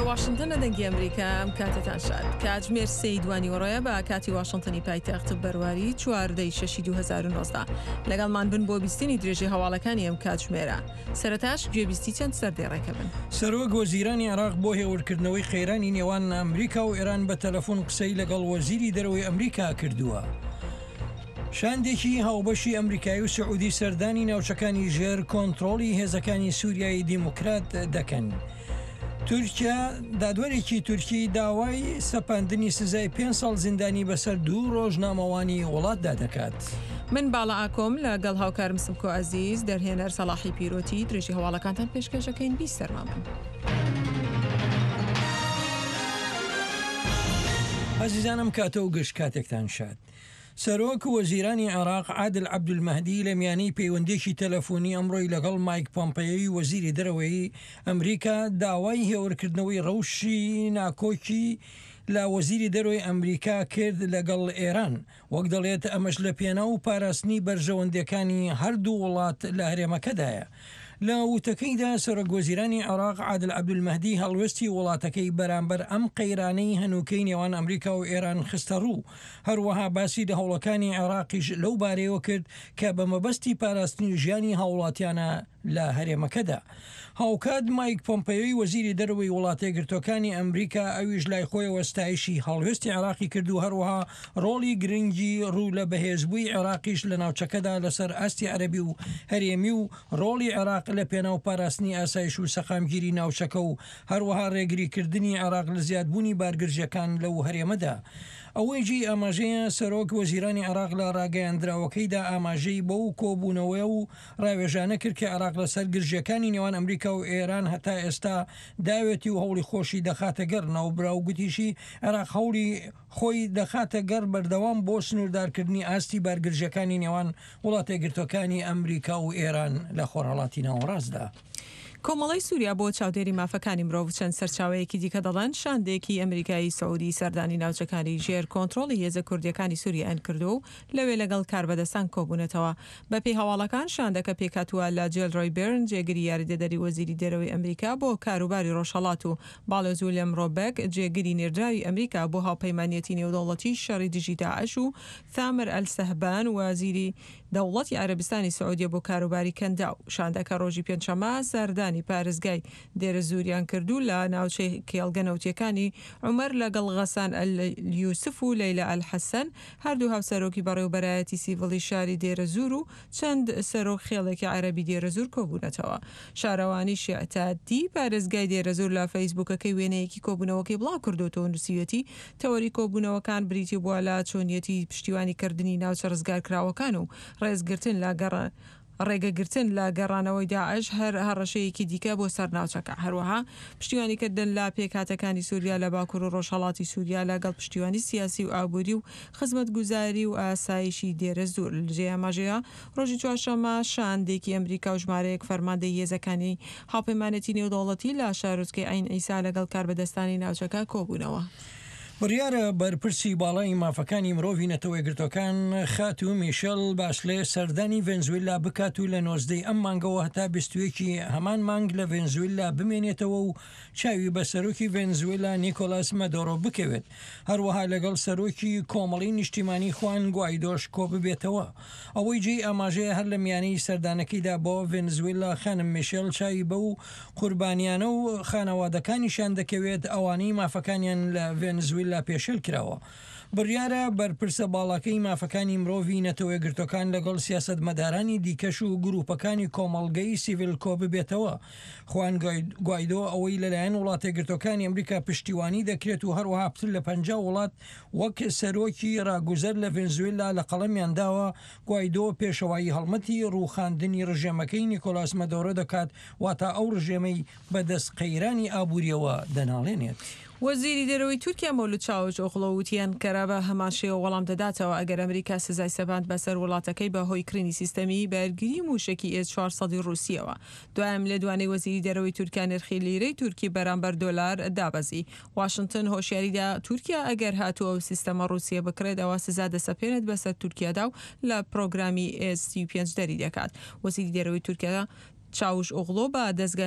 واشنتن لە دەنگی ئەمریکا ئەم کاتەتان شاد. کاتژمێر سێی دوانیوەڕۆیە بە کاتی واشنتنی پایتەخت بەرواری چواردەی شەشی 2019. لەگەڵمان بن بۆ بیستنی درێژەی هەواڵەکانی ئەم کاتژمێرە. سەرەتاش گوێبیستی چەند سەردێڕێکە بن. سەرۆک وەزیرانی عێراق بۆ هێورکردنەوەی قەیرانی نێوان ئەمریکا و ئێران بە تەلەفۆن قسەی لەگەڵ وەزیری دەرەوەی ئەمریکا کردووە. شاندێکی هاوبەشی ئەمریکایی و سعودی سەردانی ناوچەکانی ژێر کۆنترۆڵی هێزەکانی سوریای دیموکرات دەکەن. تورکیا دادوەرێکی تورکی داوای سەپاندنی سزای پێنج ساڵ زیندانی بەسەر دوو ڕۆژنامەوانی وڵاتدا دەکات. من باڵا ئاکۆم لە گەڵ هاوکارم سمکۆ ئەزیز، دەرهێنەر سەڵاحی پیرۆتی، درێژی هەواڵەکانتان پێشکەش ئەکەین، بیسەرمان بن. ئازیزان ئەم کاتە و گشت کاتێکتان شاد. سەرۆک وەزیرانی عێراق عادل عەبدولمەهدی لە میانەی پەیوەندییەکی تەلەفۆنی ئەمڕۆی لەگەڵ مایک پۆمپەیۆی وەزیری دەرەوەی ئەمریکا داوای هێورکردنەوەی ڕەوشی ناکۆکی لە وەزیری دەرەوەی ئەمریکا کرد لەگەڵ ئێران، وەک دەڵێت ئەمەش لە پێناو پاراستنی بەرژەوەندییەکانی هەردوو وڵات لە هەرێمەکەدایە. لە وتەکەیدا سەرۆک وەزیرانی عێراق عادل عەبدولمەهدی هەڵوێستی وڵاتەکەی بەرامبەر ئەم قەیرانەی هەنووکەی نێوان ئەمریکا و ئێران خستەڕوو، هەروەها باسی لە هەوڵەکانی عێراقیش لەو بارەیەوە کرد کە بە مەبەستی پاراستنی ژیانی هاوڵاتیانە لە هەرێمەکەدا. هاوکات مایک پۆمپەیۆی وەزیری دەرەوەی وڵاتەیەکگرتووەکانی ئەمریکا ئەویش لای خۆیەوە ستایشی هەڵوێستی عێراقی کرد و هەروەها ڕۆڵی گرنگی ڕوو لە بەهێزبووی عێراقیش لە ناوچەکەدا لەسەر ئاستی عەرەبی و هەرێمی و ڕۆڵی عێراق لە پێناو پاراستنی ئاسایش و سەقامگیری ناوچەکە و هەروەها ڕێگریکردنی عێراق لە زیادبوونی بارگرژیەکان لەو هەرێمەدا. ئەوەی جێی ئاماژەیە سەرۆک وەزیرانی عێراق لە ڕاگەیاندراوەکەیدا ئاماژەی بەو کۆبوونەوە و ڕاوێژانە کرد کە عێراق لەسەر گرژیەکانی نێوان ئەمریکا و ئێران هەتا ئێستا داوێتی و هەوڵی خۆشی دەخاتە گەڕ. ناوبراو گوتیشی عێراق هەوڵی خۆی دەخاتە گەڕ بەردەوام بۆ سنووردارکردنی ئاستی بارگرژیەکانی نێوان وڵاتەیەکگرتووەکانی ئەمریکا و ئێران لە خۆرهەڵاتی ناوەڕاستدا. کۆمەڵەی سووریا بۆ چاودێری مافەکانی مرۆڤ و چەند سەرچاوەیەکی دیکە دەڵێن، شاندێکی ئەمریکایی سعودی سەردانی ناوچەکانی ژێر کۆنترۆڵی هێزە کوردییەکانی سووریایان کردووە و لەوێ لەگەڵ کاربەدەستان کۆبوونەتەوە. بەپێی هەواڵەکان، شاندەکە پێکهاتووە لە جێلرۆی بێرن، جێگری یاریدەدەری وەزیری دەرەوەی ئەمریکا بۆ کاروباری ڕۆژهەڵات و باڵیۆز ویلیەم ڕۆبەک، جێگری نێردراوی ئەمریکا بۆ هاوپەیمانیەتی نێودەوڵەتی شەڕی دژی داعش و ثامر ئەلسەهبان، وەزیری دەوڵەتی عەرەبستانی سعودیە بۆ کاروباری کەنداو. شاندەکە ڕۆژی پێنجشەممە سەردانی پارێزگای دێرەزووریان کرد و لە ناوچەی کێڵگە نەوتییەکانی عومەر لەگەڵ غەسان ئەلیوسف و لەیلا ئەلحەسەن، هەردوو هاوسەرۆکی بەڕێوەبەرایەتی سیڤڵی شاری دێرەزوور و چەند سەرۆک خێڵێکی عەرەبی دێرەزوور کۆبوونەتەوە. شارەوانی شیعتادی پارێزگای دێرەزوور لە فەیسبووکەکەی وێنەیەکی کۆبوونەوەکەی بڵاوکردۆتەوە و نووسیویەتی، تەوەری کۆبوونەوەکان بریتی بووە لە چۆنیەتی پشتیوانی کردنی ناوچە ڕزگارکراوەکان و ڕێزگرتن لە ڕێگەگرتن لە گەڕانەوەی داعش هەر هەڕەشەیەکی دیکە بۆ سەر ناوچەکە، هەروەها پشتیوانیکردن لە پێکهاتەکانی سوریا لە باکور و ڕۆژهەڵاتی سوریا لەگەڵ پشتیوانی سیاسی و ئابوری و خزمەتگوزاری و ئاسایشی دێرەزوور. جێی ئاماژەیە ڕۆژی چوارشەممە شاندێکی ئەمریکا و ژمارەیەک فەرماندەی هێزەکانی هاوپەیمانێتی نێودەوڵەتی لە شارۆچکەی عەین عیسا لەگەڵ کاربەدەستانی ناوچەکە کۆبوونەوە. بڕیارە بەرپرسی باڵای مافەکانی مرۆڤی نەتەوەیەکگرتووەکان خاتوو میشێل باشلێ سەردانی ڤێنزویلا بکات و لە 19 ی ئەم مانگەوە هەتا 21 ی هەمان مانگ لە ڤێنزویلا بمێنێتەوە و چاوی بە سەرۆکی ڤێنزویلا نیکۆلاس مەدۆرۆ بکەوێت. هەروەها لەگەڵ سەرۆکی کۆمەڵی نیشتیمانی خوان گوایدۆش کۆببێتەوە. ئەوەی جێی ئاماژەیە هەر لە میانەی سەردانەکەیدا بۆ ڤێنزویلا خانم میشێل چاوی بەو قوربانیانە و خانەوادەکانیشیان دەکەوێت ئەوانەی مافەکانیان لە ڤێنزویلا پێشێل کراوە. بڕیارە بەرپرسە باڵاکەی مافەکانی مرۆڤی نەتەوەیەکگرتوەکان لەگەڵ سیاسەتمەدارانی دیکەش و گروپەکانی کۆمەڵگەی سیڤیل کۆببێتەوە. خوان گوایدۆ ئەوەی لەلایەن وڵاتەیەکگرتوەکانی ئەمریکا پشتیوانی دەکرێت و هەروەها پتر لە 50 وڵات وەک سەرۆکی ڕاگوزەر لە ڤێنزوێلا لە قەڵەمیان داوە، گوایدۆ پێشەوایی هەڵمەتی ڕووخاندنی ڕژێمەکەی نیکۆلاس مەدۆرۆ دەکات، واتا ئەو ڕژێمەی بەدەست قەیرانی ئابوورییەوە دەناڵێنێت. وەزیری دەرەوەی تورکیا مەولود چاوش ئۆغڵۆ وتی ئەنکەرە بە هەمان شێوە وەڵام دەداتەوە ئەگەر ئەمریکا سزای سەپاند بەسەر وڵاتەکەی بە هۆی کڕینی سیستەمی بەرگری مووشەکی ئێس 400 ی ڕووسییەوە. دوای ئەم لێدوانەی وەزیری دەرەوەی تورکیا نرخی لیرەی تورکی بەرامبەر دۆلار دابەزی. واشنتن هۆشیاری دا تورکیا ئەگەر هاتوو ئەو سیستەمە ڕووسییە بکڕێت ئەوا سزا دەسەپێنێت بەسەر تورکیادا و لە پرۆگرامی ئێس 35 دەری دەکات. وەزیری دەرەوەی تورکیا چاوش ئۆغڵۆ بە دەزگای.